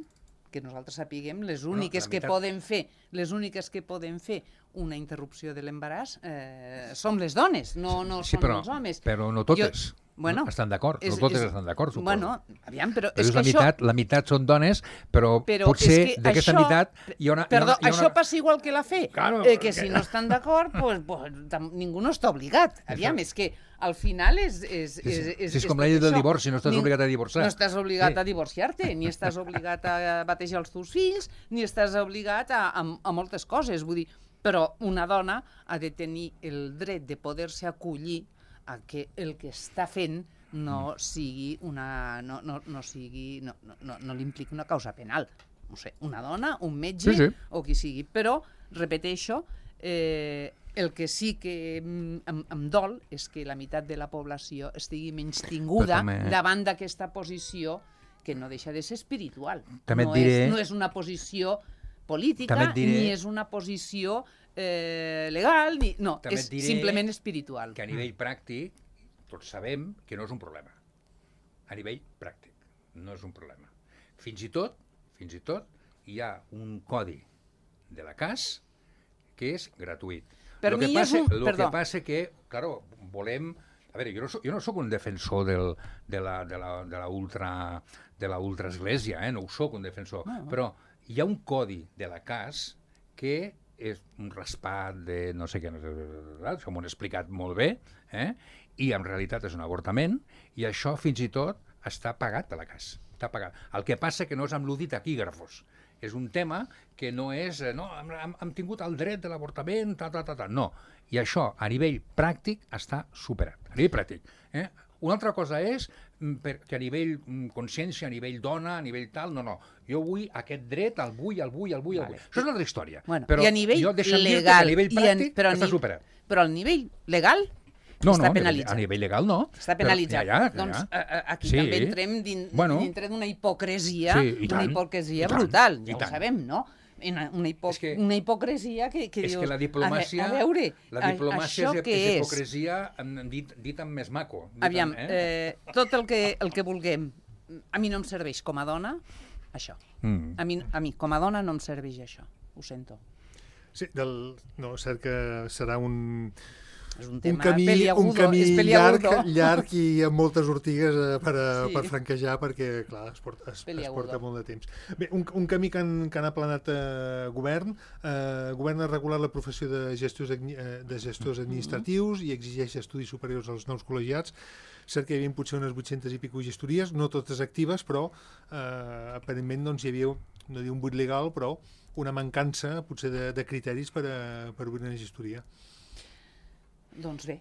que nosaltres sapiguem, les úniques bueno, que poden fer, les úniques que poden fer una interrupció de l'embaràs eh, som les dones, no, no sí, són però, els homes. Però no totes. Jo, bueno, no, estan d'acord, no totes és, estan d'acord, suposo. Bueno, aviam, però, però és, és que la, això... meitat, la meitat són dones, però, però potser d'aquesta això... meitat hi ha una... Perdó, hi ha una, hi ha una... això passa igual que la fe, claro, eh, que si no estan d'acord, pues, pues, ningú no està obligat. Aviam, és que al final és... és, és, és, és, és, és com la llei del divorci, no estàs ni, obligat a divorciar. No estàs obligat sí. a divorciar-te, ni estàs obligat a batejar els teus fills, ni estàs obligat a, a, a moltes coses, vull dir, però una dona ha de tenir el dret de poder-se acollir a que el que està fent no sigui una... no, no, no sigui... no, no, no, no li impliqui una causa penal. No sé, una dona, un metge sí, sí. o qui sigui. Però, repeteixo, eh, el que sí que em, em dol és que la meitat de la població estigui menystinguda també... davant d'aquesta posició que no deixa de ser espiritual. També no, diré... és, no és una posició política, diré... ni és una posició eh, legal, ni... no, també és simplement espiritual. Que a nivell pràctic tots sabem que no és un problema. A nivell pràctic no és un problema. Fins i tot, fins i tot hi ha un codi de la C A S que és gratuït. Per lo mi que passa, és un... Lo Perdó. que passa que, claro, volem... A veure, jo no soc, jo no soc un defensor del, de, la, de, la, de la ultra de la ultraesglésia, eh? No ho soc un defensor, no. Però hi ha un codi de la C A S que és un raspat de no sé què, no sé, això m'ho han explicat molt bé, eh? I en realitat és un avortament, i això fins i tot està pagat per la C A S. Està pagat. El que passa que no és amb l'udit taquígrafos. És un tema que no és... No, hem, hem tingut el dret de l'avortament, ta, ta, ta, ta. No. I això, a nivell pràctic, està superat. A nivell pràctic. Eh? Una altra cosa és que a nivell consciència, a nivell dona, a nivell tal, no, no. Jo vull aquest dret, el vull, el vull, el vull, el vull. Vale. Això és una altra història. Bueno, però I a nivell jo deixa'm legal... dir que a nivell pràctic en, però està ni, superat. Però al nivell legal... No, està no, penalitzat. A nivell legal no. Està penalitzat. Però, ja, ja, ja. Doncs a, aquí sí. també entrem din, bueno. dintre d'una hipocresia, sí, una hipocresia brutal, ja ho sabem, no? Una, una, hipo és que, una hipocresia que, que és dius... que la diplomàcia, a, a veure, la diplomàcia això és, què és hipocresia dit, dit amb més maco. Dit Aviam, amb, eh? eh, tot el que, el que vulguem, a mi no em serveix com a dona, això. Mm. A, mi, a mi, com a dona, no em serveix això. Ho sento. Sí, del, no, cert que serà un... És un tema un camí, peliagudo, un camí és llarg, peliagudo. llarg i amb moltes ortigues eh, per, a, Sí. per franquejar, perquè, clar, es porta, es, es porta molt de temps. Bé, un, un camí que han, que han aplanat eh, govern. Eh, govern ha regulat la professió de gestors, eh, de gestors administratius i exigeix estudis superiors als nous col·legiats. Cert que hi havia potser unes vuit-centes i pico gestories, no totes actives, però eh, aparentment doncs, hi havia, no diu un buit legal, però una mancança potser de, de criteris per, a, per obrir una gestoria. Doncs bé,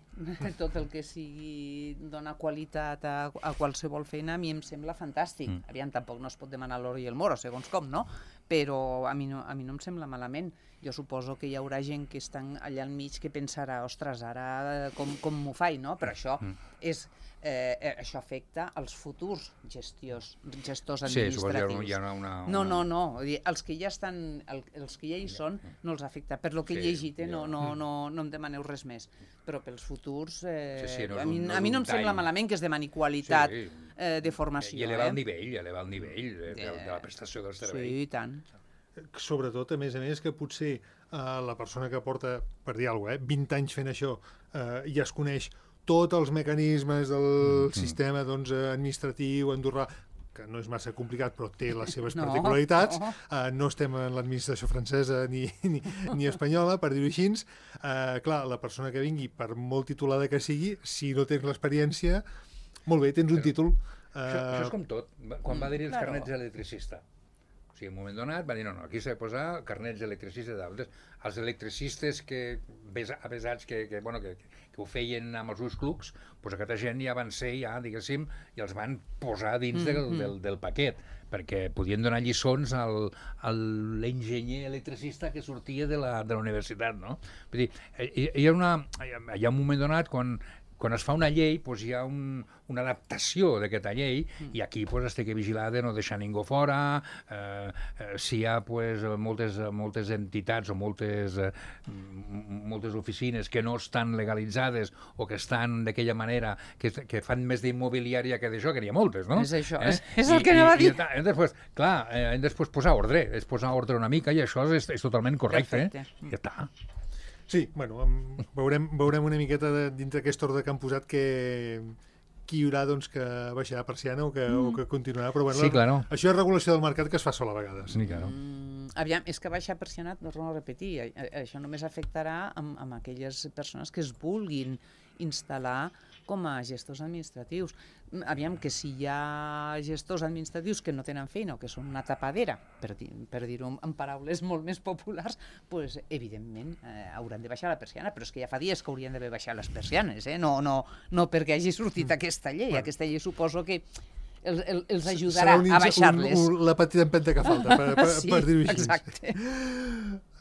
tot el que sigui donar qualitat a, a qualsevol feina a mi em sembla fantàstic. Mm. Aviam, tampoc no es pot demanar l'oro i el moro, segons com, no? Però a mi no, a mi no em sembla malament. Jo suposo que hi haurà gent que estan allà al mig que pensarà, ostres, ara com, com m'ho faig, no? Però això mm. és... Eh, això afecta als futurs gestiors, gestors administratius. Sí, hi ha una, una, una... No, no, no. Els que ja estan, el, els que ja hi són, no els afecta. Per lo que sí, he llegit, eh, no, no, no, no em demaneu res més. Però pels futurs, eh, sí, sí, no, a, mi, no, a mi no em sembla malament que es demani qualitat sí, eh, de formació. I elevar eh? el nivell, i elevar el nivell de, de, de la prestació del servei. Sí, i tant. Sobretot, a més a més, que potser eh, la persona que porta, per dir alguna cosa, eh, vint anys fent això, eh, ja es coneix tots els mecanismes del mm-hmm. sistema doncs, administratiu andorrà, que no és massa complicat, però té les seves no, particularitats. No. Uh, no estem en l'administració francesa ni, ni, ni espanyola, per dir-ho així. Uh, clar, la persona que vingui, per molt titulada que sigui, si no tens l'experiència, molt bé, tens un però, títol. Uh, això, això és com tot. Quan va haver-hi els claro. carnets d'electricista, o sigui, en un moment donat va dir, no, no, aquí s'ha de posar carnets d'electricista d'altres. Els electricistes que, avesats que, que, bueno, que, que ho feien amb els ulls clucs, doncs aquesta gent ja van ser, ja, diguéssim, i els van posar dins mm, del, mm. del, del paquet, perquè podien donar lliçons al, a l'enginyer electricista que sortia de la, de la universitat, no? Vull dir, hi, hi, ha una, hi ha un moment donat quan quan es fa una llei, doncs hi ha un, una adaptació d'aquesta llei mm. i aquí doncs, es té que vigilar de no deixar ningú fora, eh, eh, si hi ha doncs, moltes, moltes entitats o moltes, eh, moltes oficines que no estan legalitzades o que estan d'aquella manera, que, que fan més d'immobiliària que d'això, que n'hi ha moltes, no? És això, eh? és, és el I, que anava a dir. I, i després, clar, eh, hem després posar ordre, és posar ordre una mica i això és, és totalment correcte. Eh? Ja està. Sí, bueno, veurem, veurem una miqueta de, dintre aquest ordre que han posat que qui hi haurà doncs, que baixarà la persiana o que, mm. o que continuarà, però bueno, sí, claro. Això és regulació del mercat que es fa sola a vegades. Sí, claro. mm, aviam, és que baixar persiana, torno a repetir, això només afectarà amb, amb aquelles persones que es vulguin instal·lar com a gestors administratius. Aviam, que si hi ha gestors administratius que no tenen feina o que són una tapadera, per, dir, per dir-ho en paraules molt més populars, pues, evidentment eh, hauran de baixar la persiana, però és que ja fa dies que haurien d'haver baixat les persianes, eh? no, no, no perquè hagi sortit mm. aquesta llei. Bueno. Aquesta llei suposo que el, el, els ajudarà un, a baixar-les. Un, un, la petita empenta que falta, per, per, sí, per dir-ho així. Exacte.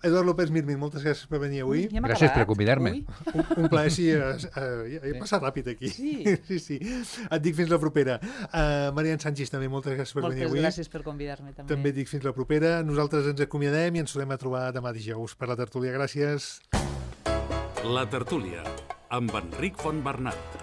Eduard López Mirmin, moltes gràcies per venir avui. Ja gràcies per convidar-me. Un, un plaer, sí, uh, uh, he passat ràpid aquí. Sí. sí, sí. Et dic fins la propera. Uh, Marian Sánchez, també, moltes gràcies per moltes venir avui. Moltes gràcies per convidar-me, també. També et dic fins la propera. Nosaltres ens acomiadem i ens tornem a trobar demà dijous per la tertúlia. Gràcies. La tertúlia, amb Enric Fontbernat.